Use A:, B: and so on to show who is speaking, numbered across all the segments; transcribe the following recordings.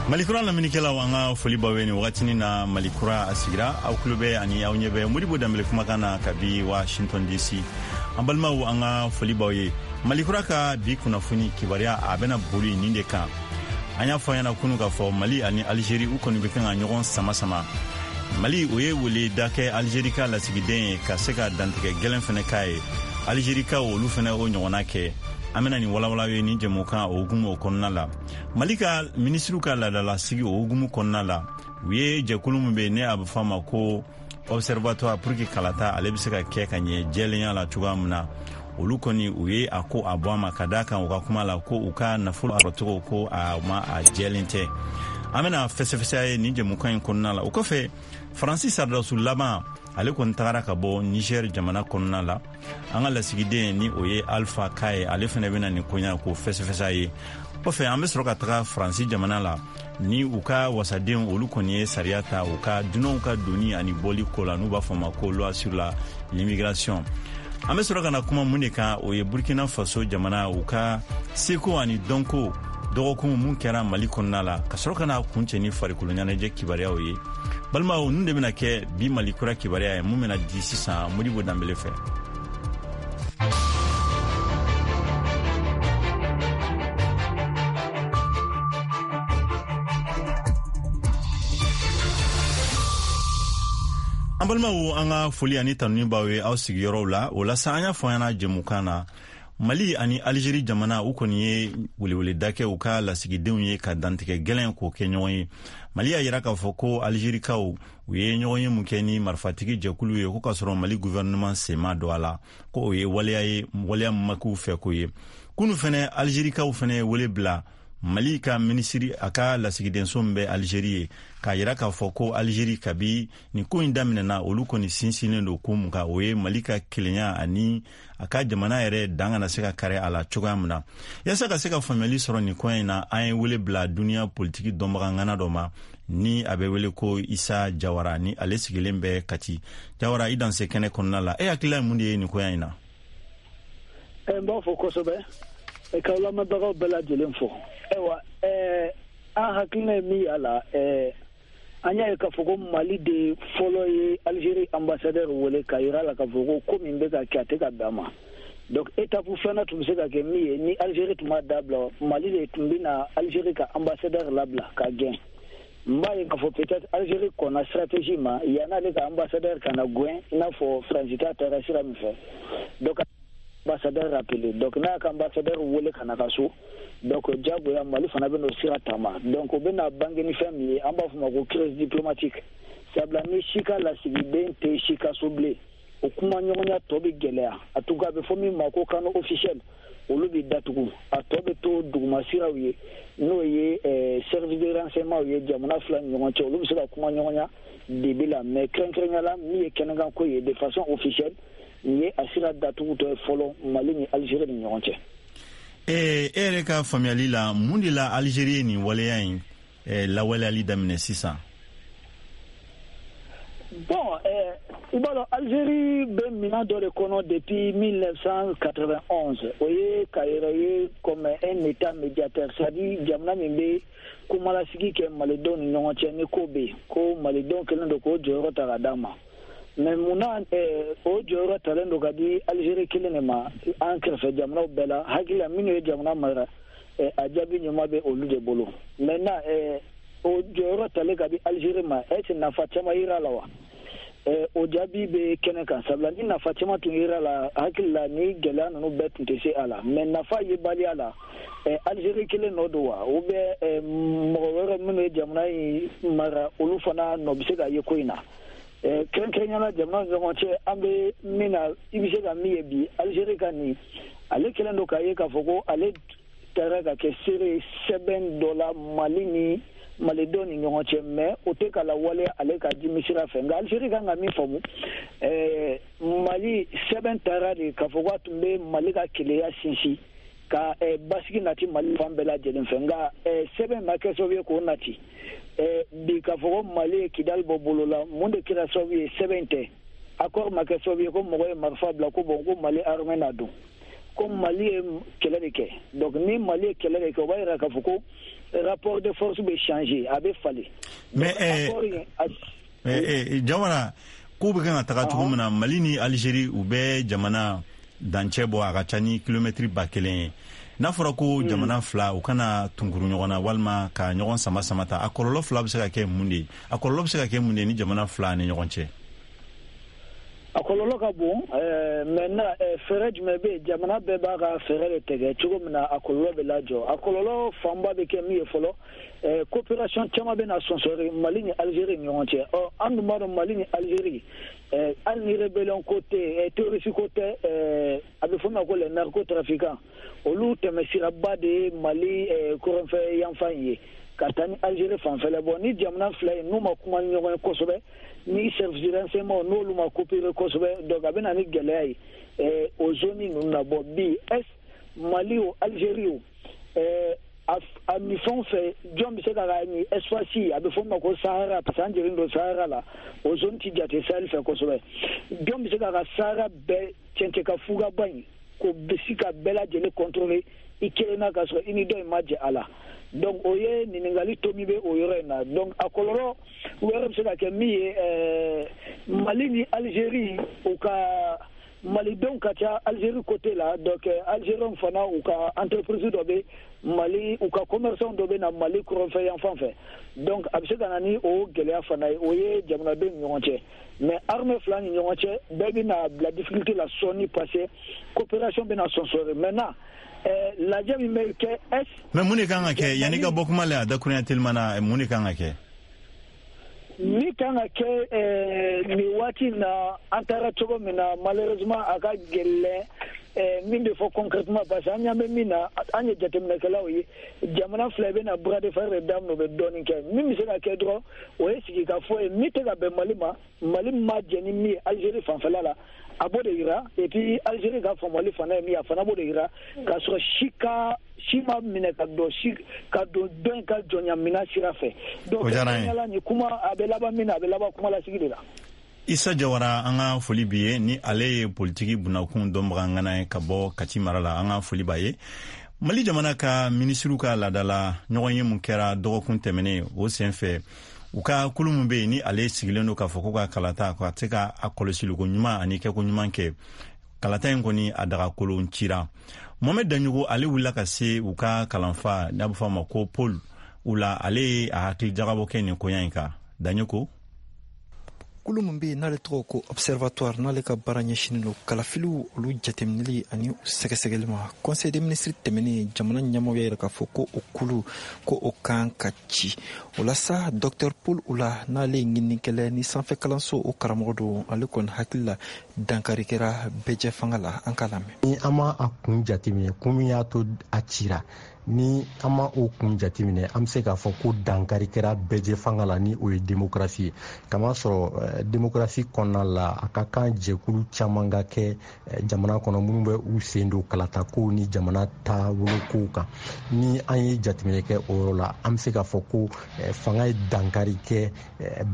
A: Malikura lamɛnnikɛlaw, an ka foli b'aw ye nin wagatinin na. Malikura a sigira, aw tulo bɛ ani aw ɲɛ bɛ Modibo Danbele kumakan na kabi Washington DC. An balimaw, an ka foli b'aw ye. Malikura ka bi kunnafoni kibaruya, a bɛna boli nin de kan. An y'a fɔ ɲɛna kunu k'a fɔ Mali ani Alizeri, u kɔni bɛ kan ka ɲɔgɔn sama sama. Mali o ye weleda kɛ Alizeri ka lasigiden ye ka se ka dantigɛ gɛlɛn fɛnɛ k'a ye. Alizerikaw, olu fɛnɛ o ɲɔgɔnna kɛ. An bɛna nin walawala ye nin jɛmukan o hukumu o kɔnɔna la. Mali ka minisiriw ka laadalasigi o hukumu kɔnɔna la, u ye jɛkulu min bɛ ne a bɛ fɔ a ma ko Observatoire pour que kalata ale bɛ se ka kɛ ka ɲɛ jɛlenya la cogoya min na, olu kɔni u ye a ko a bɔ a ma, ka d'a kan u ka kuma la ko u ka nafolo sɔrɔcogo ko a ma a jɛlen tɛ. An bɛna fɛsɛfɛsɛ ye nin jɛmukan in kɔnɔna la. O kɔfɛ, Faransi saradasu laban ale kɔni tagara ka bɔ Niger jamana kɔnɔna la. An ka lasigiden ni o ye Alpha Ka ye, ale fɛnɛ bɛna nin koɲa k'o fɛsɛfɛsɛ ye. Kɔfɛ, an bɛ sɔrɔ ka taga Faransi jamana la ni u ka wasadenw, olu kɔni ye sariya ta u ka dunanw ka doni ani bɔli ko la, n'u b'a fɔ ma ko loi sur la l'immigration. An bɛ sɔrɔ ka na kuma mun de kan? O ye Burkina Faso jamana, u ka seko ani dɔnko dɔgɔkun mun kɛra Mali kɔnɔna la, ka sɔrɔ ka na kuncɛ ni farikolo ɲɛnajɛ kibaruyaw ye. Balimaw, ninnu de bɛna kɛ bi Mali Kura kibaruya ye mun bɛna di sisan Modibo Danbele fɛ. An balimaw, an ka foli ani tanuni b'aw ye aw sigiyɔrɔw la. O la sa, an y'a fɔ an ɲɛna jɛmukan na, Mali ani Alizeri jamana, u kɔni ye weleweleda kɛ u ka lasigidenw ye ka dantigɛ gɛlɛn k'o kɛ ɲɔgɔn ye. Mali y'a yira k'a fɔ ko Alizerikaw, u ye ɲɔgɔn ye mun kɛ ni marifatigi jɛkulu ye, ko k'a sɔrɔ Mali gouvernement sen ma don a la, ko o ye waleya ye, waleya ma k'u fɛ ko ye. Kunu fɛnɛ, Alizerikaw fɛnɛ ye wele bila Mali ka minisiri, a ka lasigidenso min bɛ Alizeri ye, k'a yira k'a fɔ ko Alizeri, kabi nin ko in daminɛna, olu kɔni sinsinnen don ko mun kan? O ye Mali ka kelenya ani a ka jamana yɛrɛ dan kana se ka kari a la cogoya min na. Yaasa ka se ka faamuyali sɔrɔ nin koɲɛ in na, an ye wele bila duniya politiki dɔnbaga ŋana dɔ ma ni a bɛ wele ko Isa Jawara, ni ale sigilen bɛ Kati. Jawara, i danse kɛnɛ kɔnɔna la. E hakilila ye mun de ye nin koɲɛ in na?
B: N b'a fɔ kosɛbɛ k'aw lamɛnbagaw bɛɛ lajɛlen fo. Ayiwa, an hakilina ye min y'a la, an y'a ye k'a fɔ ko Mali de fɔlɔ ye Algérie ambassadeur wele k'a yira la k'a fɔ ko ko min bɛ ka kɛ, a tɛ ka bɛn a ma. Donc étape filanan tun bɛ se ka kɛ min ye, ni Algérie tun b'a dabila, Mali de tun bɛ na Algérie ka ambassadeur labila ka gɛn. N b'a ye k'a fɔ peut-être Algérie kɔnna stratégie ma yann'ale ka ambassadeur ka na gɛn, i n'a fɔ Faransi ta taara sira min fɛ. Donc ambassadeur rappelé, donc n'a y'a ka ambassadeur wele ka na ka so, donc diyagoya Mali fana bɛ n'o sira taama. Donc o bɛna bange ni fɛn min ye, an b'a fɔ ma ko crise diplomatique, sabula ni si ka lasigiden tɛ si ka so bilen, o kuma ɲɔgɔnya tɔ bɛ gɛlɛya. A tugu, a bɛ fɔ min ma ko canaux officiels, olu bɛ datugu, a tɔ bɛ to duguma siraw ye, n'o ye service de renseignement ye jamana fila ni ɲɔgɔn cɛ, olu bɛ se ka kuma ɲɔgɔnya dibi la. Mais kɛrɛnkɛrɛnya la, min ye kɛnɛkanko ye de façon officielle, nin ye a sira datugutɔ ye fɔlɔ Mali ni Algérie ni ɲɔgɔn cɛ.
A: E yɛrɛ ka faamuyali la, mun de la Algérie ye nin waleya in lawaleyali daminɛ sisan?
B: Bon, i b'a dɔn, Algérie bɛ minɛn dɔ de kɔnɔ depuis 1991. O ye ka yɛrɛ ye comme un état médiateur, c'est à dire jamana min bɛ kumalasigi kɛ malidenw ni ɲɔgɔn cɛ ni ko bɛ yen, ko malidenw kɛlen don k'o jɔyɔrɔ ta ka d'a ma. Mais munna o jɔyɔrɔ talen don ka di Algérie kelen de ma an kɛrɛfɛ jamanaw bɛɛ la? Hakili la, minnu ye jamana mara, a jaabi ɲuman bɛ olu de bolo. Maintenant, o jɔyɔrɔ talen ka di Algérie ma, est ce nafa caman yira la wa? O jaabi bɛ kɛnɛ kan, sabula ni nafa caman tun yira la, hakili la, ni gɛlɛya ninnu bɛɛ tun tɛ se a la. Mais nafa yebaliya la, Algérie kelen nɔ don wa, ou bien mɔgɔ wɛrɛ minnu ye jamana in mara, olu fana nɔ bɛ se ka ye ko in na? Kɛrɛnkɛrɛnnenya la, jamana ni ɲɔgɔn cɛ, an bɛ min na, i bɛ se ka min ye bi, Algérie ka nin, ale kɛlen don k'a ye k'a fɔ ko ale taara ka kɛ seere sɛbɛn dɔ la Mali ni malidenw ni ɲɔgɔn cɛ, mais o tɛ ka lawaleya ale ka dimi sira fɛ. Nka Algérie kan ka min faamu, Mali sɛbɛn taara de k'a fɔ k'a tun bɛ Mali ka keleya sinsin ka basigi nati Mali fan bɛɛ lajɛlen fɛ. Nka sɛbɛn ma kɛ sababu ye k'o nati. Bi, k'a fɔ ko Mali ye Kidali bɔ bolo la, mun de kɛra sababu ye? Sɛbɛn tɛ, accord ma kɛ sababu ye ko mɔgɔ ye marifa bila ko bon, ko Mali armée na don. Ko Mali ye kɛlɛ de kɛ. Donc ni Mali ye kɛlɛ de kɛ, o b'a yira k'a fɔ ko rapport de force bɛ changer, a bɛ falen.
A: Mais Jawara, ko bɛ kan ka taga cogo min na, Mali ni Algérie, u bɛ jamana dancɛ bɔ, a ka ca ni kilomɛtiri 1000 ye. N'a fɔra ko jamana fila u kana tunkuru ɲɔgɔn na walima ka ɲɔgɔn sama sama ta, a kɔlɔlɔ fila bɛ se ka kɛ mun de ye? A kɔlɔlɔ bɛ se ka kɛ mun de ye ni jamana fila ni ɲɔgɔn cɛ?
B: A kɔlɔlɔ ka bon. Maintenant, fɛɛrɛ jumɛn bɛ yen? Jamana bɛɛ b'a ka fɛɛrɛ de tigɛ cogo min na a kɔlɔlɔ bɛ lajɔ. A kɔlɔlɔ fanba bɛ kɛ min ye fɔlɔ, coopération caman bɛ na sɔnsɔri Mali ni Algérie ni ɲɔgɔn cɛ. Ɔ, an dun b'a dɔn, Mali ni Algérie, hali ni rébellion ko tɛ, terroriste ko tɛ, a bɛ fɔ min ma ko les narcotrafiquants, olu tɛmɛsiraba de ye Mali kɔrɔnfɛ yanfan ye ka taa ni Algérie fanfɛla. Bɔ ni jamana fila ye, n'u ma kuma ni ɲɔgɔn ye kosɛbɛ, ni service de renseignement n'olu ma coopérer kosɛbɛ, donc a bɛ na ni gɛlɛya ye o zone ninnu na. Bɔ bi, est Mali o, Algérie o, a nin fɛn fɛ, jɔn bɛ se ka nin espace, a bɛ fɔ min ma ko Sahara, parce que an jɛlen don Sahara la, o zone ti jate Sahel fɛ kosɛbɛ, jɔn bɛ se ka Sahara bɛɛ cɛncɛn ka fugaba in k'o bɛ se ka bɛɛ lajɛlen contrôler i kelen na, k'a sɔrɔ i ni dɔ in ma jɛ a la? Donc o ye ɲininkali to min bɛ o yɔrɔ in na. Donc a kɔlɔlɔ wɛrɛ bɛ se ka kɛ min ye, Mali ni Algérie, u ka malidenw ka ca Algérie côté la. Donc Algériens fana, u ka entreprise dɔ bɛ Mali, u ka commerçant dɔ bɛ na Mali kɔrɔnfɛ yan fan fɛ. Donc a bɛ se ka na ni o gɛlɛya fana ye. O ye jamanadenw ni ɲɔgɔn cɛ. Mais armée fila ni ɲɔgɔn cɛ, bɛɛ bɛna bila difficulté la sɔɔni, parce que coopération bɛna sɔnsɔri. Maintenant, lajɛ min bɛ kɛ est
A: Mais mun de kan ka kɛ yanni ka bɔ kuma la, a dakurunya telima na, mun de kan ka kɛ?
B: Min kan ka kɛ nin waati in na, an taara cogo min na, malheureusement a ka gɛlɛn min bɛ fɔ concrètement, parce que an ɲɛ bɛ min na, an ye jateminɛkɛlaw ye, jamana fila bɛ na bras de fer de daminɛ, u bɛ dɔɔnin kɛ. Min bɛ se ka kɛ dɔrɔn, o ye sigikafɔ ye. Min tɛ ka bɛn Mali ma, Mali ma jɛn ni min ye Algérie fanfɛla la, a b'o de yira. Et puis Algérie ka faamuyali fana ye min ye, a fana b'o de yira, k'a sɔrɔ si ka si ma minɛ ka don si ka don dɔ in ka jɔnya minɛn sira fɛ. Donc
A: O diyara an ye.
B: Nin kuma a bɛ laban min na, a bɛ laban kuma lasigi de la.
A: Isa Jawara, an ka foli bi ye. Ni ale ye politiki bunakun dɔnbaga ŋana ye ka bɔ Kati mara la, an ka foli b'a ye. Mali jamana ka minisiriw ka laadala ɲɔgɔn ye mun kɛra dɔgɔkun tɛmɛnen, o sen fɛ, u ka kulu min bɛ yen, ni ale sigilen don k'a fɔ ko ka kalata ka se ka a kɔlɔsiliko ɲuman ani kɛko ɲuman kɛ, kalata in kɔni a dagakolon cira. Mohamɛd Daɲogo, ale wulila ka se u ka kalanfa n'a bɛ fɔ a ma ko Paul Oula, ale ye a hakili jagabɔ kɛ nin koɲa in kan. Daɲoko.
C: Kulu min bɛ yen n'ale tɔgɔ ko Observatoire, n'ale ka baara ɲɛsinin don kalafiliw olu jateminɛli ani u sɛgɛsɛgɛli ma, conseil des ministres tɛmɛnen, jamana ɲɛmaaw y'a yira k'a fɔ ko o kulu ko o kan ka ci. O la sa, Dr Paul Oula, n'ale ye ɲininikɛla ni sanfɛ kalanso o karamɔgɔ don, ale kɔni hakili la, dankari kɛra bɛɛjɛ fanga la. An k'a lamɛn.
D: Ni an ma a kun jateminɛ, kun min y'a to a cira, ni an ma o kun jateminɛ, an bɛ se k'a fɔ ko dankari kɛra bɛɛjɛ fanga la, ni o ye démocratie ye. Kamasɔrɔ démocratie kɔnɔna la, a ka kan jɛkulu caman ka kɛ jamana kɔnɔ minnu bɛ u sen don kalatakow ni jamana taabolokow kan. Ni an ye jateminɛ kɛ o yɔrɔ la, an bɛ se k'a fɔ ko fanga ye dankari kɛ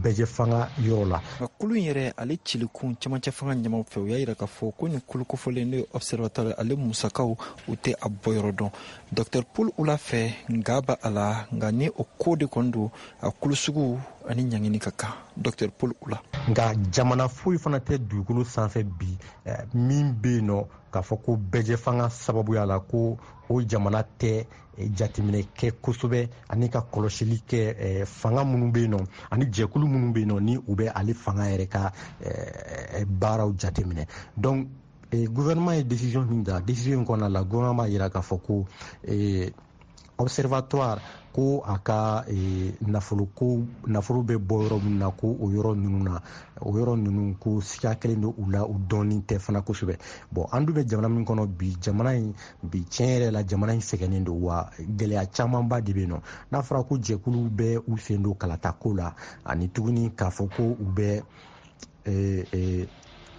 D: bɛɛjɛ fanga yɔrɔ la.
C: Nka kulu in yɛrɛ, ale cilikun cɛmancɛ fanga ɲɛmaw fɛ, u y'a yira k'a fɔ ko nin kulu kofɔlen, n'o ye Observatoire, ale musakaw u tɛ a bɔyɔrɔ dɔn. Dr Paul Oula fɛ, nka ba a la, nka ni o ko de kɔni don, a kulu sugu ani ɲangini ka kan. Dr Paul Oula.
D: Nka jamana foyi fana tɛ dugukolo sanfɛ bi min bɛ yen nɔ k'a fɔ ko bɛɛjɛ fanga sababuya la ko o jamana tɛ jateminɛ kɛ kosɛbɛ ani ka kɔlɔsili kɛ fanga minnu bɛ yen nɔ ani jɛkulu minnu bɛ yen nɔ, ni u bɛ ale fanga yɛrɛ ka baaraw jateminɛ. Donc gouvernement ye décision min ta, décision in kɔnɔna la, gouvernement b'a yira k'a fɔ ko Observatoire, ko a ka nafolo, ko nafolo bɛ bɔ yɔrɔ min na, ko o yɔrɔ ninnu na, o yɔrɔ ninnu ko siga kelen don u la, u dɔɔnin tɛ fana kosɛbɛ. Bon, an dun bɛ jamana min kɔnɔ bi, jamana in bi, tiɲɛ yɛrɛ la, jamana in sɛgɛnnen don wa gɛlɛya camanba de bɛ yen nɔ. N'a fɔra ko jɛkulu bɛ u sen don kalatako la, ani tuguni k'a fɔ ko u bɛ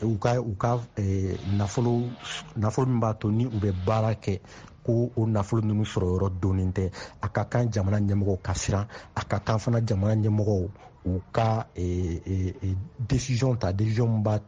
D: u ka nafolo min b'a to ni u bɛ baara kɛ, ko o nafolo ninnu sɔrɔ yɔrɔ donnen tɛ, a ka kan jamana ɲɛmɔgɔw ka siran. A ka kan fana jamana ɲɛmɔgɔw u ka décision ta, décision min b'a